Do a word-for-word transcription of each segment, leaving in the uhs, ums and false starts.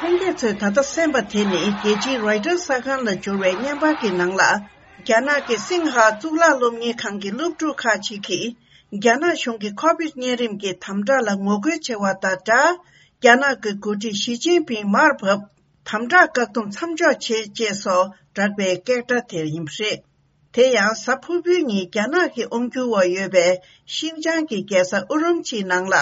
ལྷན་རྒྱས་ཚོས་ད་ལྟ་གསན་པ་དེ་ནི་རྒྱལ་སྤྱིའི་རོའི་ཊར་གསར་ཁང་ལ་འབྱོར་བའི་བརྙན་པར་གྱི་ནང་ལ། རྒྱ་ནག་གི་སིང་ཧ་གཙུག་ལག་སློབ་གཉེར་ཁང་གི་སློབ་ཕྲུག་ཁག་ཅིག་གིས། རྒྱ་ནག་གཞུང་གི་ཁོ་བིད་གཉན་རིམས་ཀྱི་དམ་དྲག་ལ་ངོ་རྒོལ་བྱེད་པ་དང་སྦྲགས། རྒྱ་ནག་གི་འགོ་ཁྲིད་ཞི་ཅིན་ཕིང་མར་བབས། དམ་དྲག་བཀག་སྡོམ་མཚམས་འཇོག་བྱེད་ཅེས་སོགས་བསྒྲགས་པའི་སྐད་སྒྲ་དེ་ཡིན་པ་རེད། དེ་ཡང་གཟའ་ཕུར་བུའི་ཉིན་རྒྱ་ནག་གི་དབང་སྒྱུར་འོག་ཡོད་པའི་ཤིན་ཅང་གི་རྒྱལ་ས་ཨུ་རུམ་ཆིའི་ནང་ལ།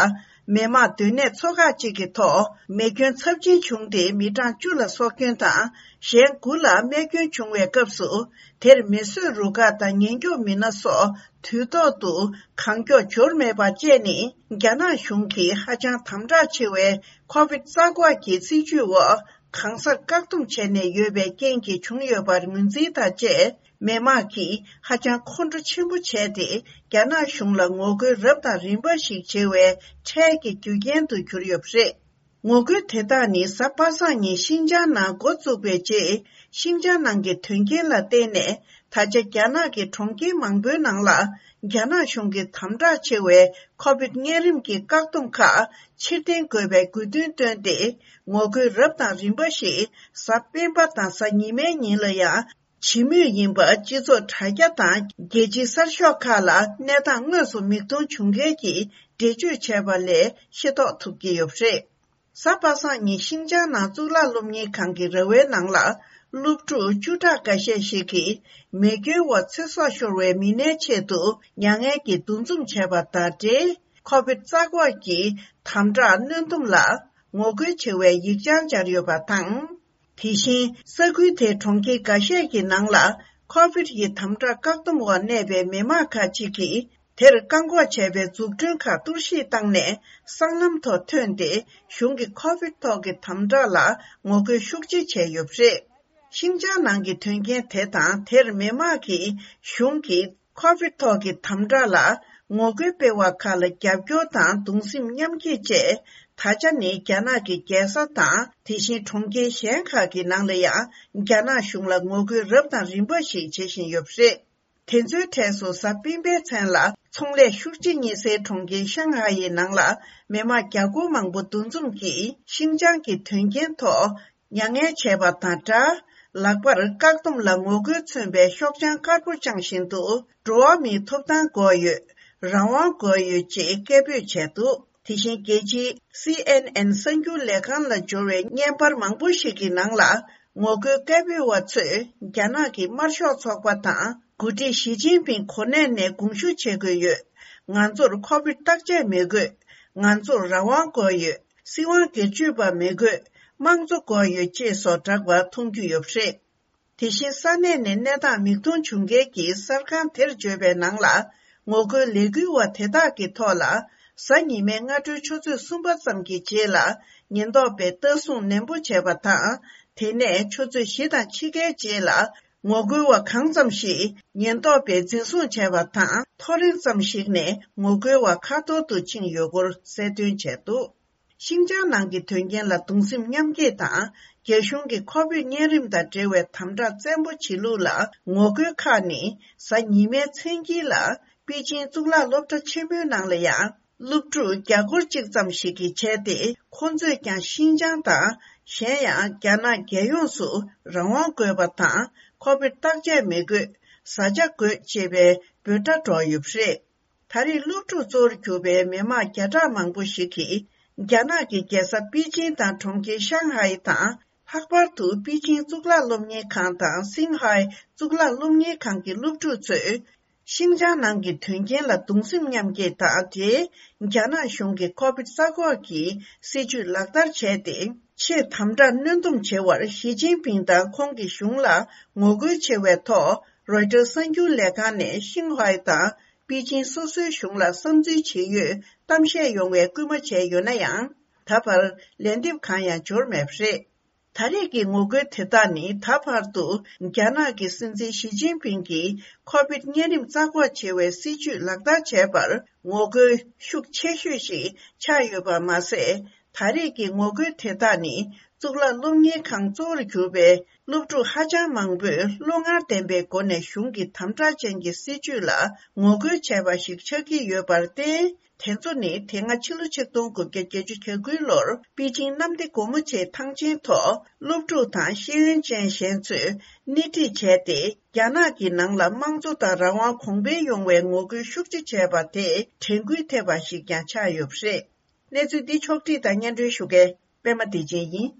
མི་དམངས་སྡོད་གནས་ཚོ་ཁག་ཅིག་གི་ཐོག་མེ་སྐྱོན་ཚབས་ཆེན་བྱུང་སྟེ་མི་གྲངས་བཅུ་ལ་སྲོག་སྐྱོན་དང་། གཞན་དགུ་ལ་རྨས་སྐྱོན་བྱུང་བའི་སྐབས་སུ། དེར་མེ་གསོད་རུ་ཁག་དང་ཉེན་སྐྱོབ་མི་སྣ་སོགས་དུས་ཐོག་ཏུ་གང་མགྱོགས་འབྱོར་མེད་པ་བཅས་ནི། རྒྱ་ནག་གཞུང་གིས་ཧ་ཅང་དམ་དྲག་ཆེ་བའི་ཁོ་བིད་རྩ་འགོག་གི་སྲིད་ཇུས་འོག་གང་སར་བཀག་སྡོམ་བྱས་ནས་ཡོད་པའི་རྐྱེན་གྱིས་བྱུང་ཡོད་པར་ངོས་འཛིན་དང་བཅས། མི་དམངས་ཀྱིས་ཧ་ཅང་ཁོང་ཁྲོ་ཆེན་པོ་བྱས་ཏེ། རྒྱ་ནག་གཞུང་ལ་ངོ་རྒོལ་རབ་དང་རིམ་པ་ཞིག་བྱེད་པའི་འཕྲལ་གྱི་རྒྱུ་རྐྱེན་དུ་གྱུར་ཡོད་པ་རེད། ངོ་རྒོལ་དེ་དག་ནི་གཟའ་པ་སངས་ཉིན་ཤིན་ཅང་ནང་འགོ་བཙུགས་པའི་རྗེས། ཤིན་ཅང་ནང་གི་དོན་རྐྱེན་ལ་བརྟེན་ནས། ད་ཆ་རྒྱ་ནག་གི་གྲོང་ཁྱེར་མང་པོའི་ནང་ལ། རྒྱ་ནག་གཞུང་གི་དམ་དྲག་ཆེ་བའི་ཁོ་བིད་གཉན་རིམས་ཀྱི་བཀག་སྡོམ་ཁག་ཕྱིར་འཐེན་དགོས་པའི་དགོས་འདུན་བཏོན་ཏེ། ངོ་རྒོལ་རབ་དང་རིམ་པ་ཞིག་གཟའ་སྤེན་པ་དང་གཟའ་ཉི་མའི་ཉིན་ལ་ཡང་། བྱེད་མུས་ཡིན་པ། སྤྱི་ཚོགས་དྲ་རྒྱ་དང་རྒྱལ་སྤྱིའི་གསར་ཤོག་ཁག་ལ་གནས་སྟངས་དངོས་སུ་མིག་མཐོང་བྱུང་མཁན་གྱིས་འགྲེལ་བརྗོད་བྱས་པ་ལས་ཤེས་རྟོགས་ཐུབ་ཀྱི་ཡོད་པ་རེད། གཟའ་པ་སངས་ཉིན་ཤིན་ཅང་ནང་གཙུག་ལག་སློབ་གཉེར་ཁང་གི་ར་བའི་ནང་ལ། སློབ་ཕྲུག་བཅུ་ཕྲག་འགའ་ཤས་ཤིག་གིས་མེ་སྐྱོན་འོག་ཚེ་སྲོག་ཤོར་བའི་མི་སྣའི་ཆེད་དུ་མྱ་ངན་གྱིས་འདུ་འཛོམས་བྱས་པ་དང་འབྲེལ། ཁོ་བིད་རྩ་འགོག་གི་དམ་དྲག་གནོན་སྡོམ་ལ་ངོ་རྒོལ་བྱེད་པའི་ཡིག་བྱང་སྦྱར་ཡོད་པ་དང་། དེ་བཞིན་ས་ཁུལ་དེའི་གྲོང་ཁྱེར་འགའ་ཤས་ཀྱི་ནང་ལ་ཁོ་བིད་ཀྱི་དམ་དྲག་བཀག་སྡོམ་འོག་གནས་པའི་མི་མང་ཁག་ཅིག་གིས། དེར་བཀག་འགོག་བྱས་པའི་འཛུགས་སྐྲུན་ཁག་གཏོར་བཤིག་བཏང་ནས། སྲང་ལམ་ཐོག་ཐོན་ཏེ། གཞུང་གི་ཁོ་བིད་ཐོག་གི་དམ་དྲག་ལ་ངོ་རྒོལ་ཤུགས་ཆེ་བྱས་ཡོད་པ་རེད། ཤིན་ཅང་ནང་གི་དོན་རྐྱེན་དེ་དང་། དེར་མི་མང་གིས་གཞུང་གིས་ཁོ་བིད་ཐོག་གི་དམ་དྲག་ལ་ངོ་རྒོལ་སྤེལ་བ་ཁག་ལ་རྒྱབ་སྐྱོར་དང་གདུང་སེམས་མཉམ་སྐྱེད་བཅས། ད་ཆ་ནི་རྒྱ་ནག་གི་རྒྱལ་ས་དང་། དེ་བཞིན་གྲོང་ཁྱེར་གཞན་ཁག་གི་ནང་ལ་ཡང་རྒྱ་ནག་གཞུང་ལ་ངོ་རྒོལ་རབ་དང་རིམ་པ་ཞིག་བྱེད་བཞིན་ཡོད་པ་རེད། དེ་ཚོའི་གྲས་སུ་གཟའ་སྤེན་པའི་མཚན་ལ་ཚོང་ལས་ཤུགས་ཆེ་གཉིས་སའི་གྲོང་ཁྱེར་ཤང་ཧའེ་ཡི་ནང་ལ་མི་མང་བརྒྱ་སྐོར་མང་པོ་འདུ་འཛོམས་ཀྱིས་ཤིན་ཅང་གི་དོན་རྐྱེན་ཐོག་མྱ་ངན་བྱས་པ་དང་སྦྲགས། ལག་པར་བཀག་སྡོམ་ལ་ངོ་རྒོལ་མཚོན་པའི་ཤོག་བྱང་དཀར་པོ་བཅངས་བཞིན་དུ། འགྲོ་བ་མིའི་ཐོབ་ཐང་དགོས་ཡོད། རང་དབང་དགོས་ཡོད་ཅེས་སྐད་འབོད་བྱས་འདུག་དེ་བཞིན་རྒྱལ་སྤྱིའི་སི་ཨེན་ཨེན་གསར་འགྱུར་ལས་ཁང་ལ་འབྱོར་བའི་བརྙན་པར་མང་པོ་ཞིག་གི་ནང་ལ། ངོ་རྒོལ་སྐད་འབོད་པ་ཚོས་རྒྱ་ནག་གི་དམར་ཤོག་ཚོགས་པ་དང་། འགོ་ཁྲིད་ཞི་ཅིན་ཕིང་གོ་གནས་ནས་དགོངས་ཞུ་བྱེད་དགོས་ཡོད། ང་ཚོར་ཁོ་བིད་བརྟག་དཔྱད་མི་དགོས། ང་ཚོར་རང་དབང་དགོས་ཡོད། སྲིད་དབང་སྒེར་གཅོད་པ་མི་དགོས། དམངས་གཙོ་དགོས་ཡོད་ཅེས་སོགས་བསྒྲགས་པ་མཐོང་རྒྱུ་ཡོད་པ་རེད། དེ་བཞིན་ས་གནས་ནས་གནས་སྟངས་མིག་མཐོང་བྱུང་མཁན་གྱིས་གསར་ཁང་དེར་བརྗོད་པའི་ནང་ལ། ངོ་རྒོལ་ལས་འགུལ་བ་དེ་དག་གི་ཐོག་ལ། གཟའ་ཉི་མའི་སྔ་དྲོའི་ཆུ་ཚོད་གསུམ་པ་ཙམ་གྱི་རྗེས་ལ། ཉེན་རྟོག་པས་ལྟ་སྲུང་ནན་པོ་བྱས་པ་དང་། དེ་ནས་ཆུ་ཚོད་བཞི་དང་ཕྱེད་ཀའི་རྗེས་ལ། ངོ་རྒོལ་བ་གང་ཙམ་ཞིག་ཉེན་རྟོག་པས་འཛིན་བཟུང་བྱས་པ་དང་། ཐོ་རེངས་ཙམ་ཞིག་ནས་ངོ་རྒོལ་བ་ཁ་འཐོར་དུ་ཕྱིན་ཡོད་སྐོར་གསལ་སྟོན་བྱས་འདུག་ཤིན་ཅང་ནང་གི་དོན་རྐྱེན་ལ་གདུང་སེམས་མཉམ་སྐྱེད་དང་། རྒྱ་གཞུང་གི་ཁོ་བིད་གཉན་རིམས་དང་འབྲེལ་བའི་དམ་དྲག་བཙན་པོ་བྱེད་ལུགས་ལ་ངོ་རྒོལ་ཁག་ནི། གཟའ་ཉི་མའི་མཚན་དཀྱིལ་ལ། པེ་ཅིང་གཙུག་ལག་སློབ་གྲྭ་ཆེན་མོའི་ནང་ལ་ཡང་། སློབ་ཕྲུག་བརྒྱ་སྐོར་གཅིག་ཙམ་ཞིག་གིས་བྱས་ཏེ། ཁོང་ཚོས་ཀྱང་ཤིན་ཅང་དང་། གཞན་ཡང་། རྒྱ་ནག་རྒྱལ་ཡོངས་སུ་རང་དབང་དགོས་པ་དང་། ཁོ་བིད་བརྟག་དཔྱད་མི་དགོས། བཟའ་བཅའ་དགོས། ཅེས་པའི་འབོད་སྒྲ་སྒྲོག་ཡོད་པ་རེད། ད་རེས་སློབ་ཕྲུག་གཙོ་བོར་གྱུར་པའི་མི་མང་བརྒྱ་ཕྲག་མང་པོ་ཞིག་གིས། རྒྱ་ནག་གི་རྒྱལ་ས་པེ་ཅིང་དང་གྲོང་ཁྱེར་ཤང་ཧའེ་དང་། ལྷག་པར་དུ་པེ་ཅིང་གཙུག་ལག་སློབ་གཉེར་ཁང་དང་སིང་ཧའེ་གཙུག་ལག་སློབ་གཉེར་ཁང་གི་སློབ་ཕྲུག་ཚོས། ཤིན་ཅང་ནང་གི་དོན་རྐྱེན་ལ་གདུང་སེམས་མཉམ་སྐྱེད་དང་འབྲེལ། རྒྱ་ནག་གཞུང་གིས་ཁོ་བིད་རྩ་འགོག་གི་སྲིད་ཇུས་ལག་བསྟར་བྱས་ཏེ། ཆེས་དམ་དྲག་གནོན་སྡོམ་བྱེད་པར་ཞི་ཅིན་ཕིང་དང་ཁོང་གི་གཞུང་ལ་ངོ་རྒོལ་ཆེ་བའི་ཐོག་རོའི་ཊར་གསར་འགྱུར་ལས་ཁང་ནས་ཤིང་ཧའེ་དང་པེ་ཅིང་སོ་སོའི་གཞུང་ལ་བསམ་ཚུལ་ཇི་ཡོད་གཏམ་བཤད་ཡོང་བའི་སྐུལ་མ་བྱས་ཡོད་ན་ཡང་། ད་བར་ལན་འདེབས་གང་ཡང་འབྱོར་མེད་པ་རེད། ད་རེས་ཀྱི་ངོ་རྒོལ་དེ་དག་ནི་ད་བར་དུ་རྒྱ་ནག་གི་སྲིད་འཛིན་ཞི་ཅིན་ཕིང་གིས་ཁོ་བིད་གཉན་རིམས་རྩ་འགོག་བྱེད་པའི་སྲིད་ཇུས་ལག་བསྟར་བྱས་པར་ངོ་རྒོལ་ཤུགས་ཆེ་ཤོས་ཤིག་ཆགས་ཡོད་པ་མ་ཟད། ད་རེས་ཀྱི་ངོ་རྒོལ་དེ་དག་ནི་གཙུག་ལག་སློབ་གཉེར་ཁང་གཙོ་བོར་གྱུར་པའི་སློབ་ཕྲུག་ཧ་ཅང་མང་པོས་བློ་ངར་ལྡན་པའི་སྒོ་ནས་གཞུང་གི་དམ་དྲག་ཅན་གྱི་སྲིད་བྱུས་ལ་ངོ་རྒོལ་བྱས་པ་ཞིག་ཆགས་ཀྱི་ཡོད་པར་བརྟེན། དེ་ཚོ་ནི་དེ་སྔ་ཕྱི་ལོ་ཆིག་སྟོང་དགུ་བརྒྱ་བརྒྱད་ཅུ་གྱ་དགུའི་ལོར་པེ་ཅིང་གནམ་བདེ་སྒོ་མོ་ཆེའི་ཐང་ཆེན་ཐོག་སློབ་ཕྲུག་དང་ཤེས་ཡོན་ཅན་གཞན་ཚོས་སྣེ་ཁྲིད་བྱས་ཏེ། རྒྱ་ནག་གི་ནང་ལ་དམངས་གཙོ་དང་རང་དབང་གོང་འཕེལ་ཡོང་བའི་ངོ་རྒོལ་ཤུགས་ཆེ་བྱས་པ་དེ་དྲན་སྐུལ་ཐེབས་པ་ཞིག་ཀྱང་ཆགས་ཡོད་པ་རེད། གནས་ཚུལ་འདི་ཕྱོགས་བསྒྲིགས་དང་སྙན་སྒྲོན་ཞུ་མཁན་པད་མ་བདེ་ཆེན་ཡིན།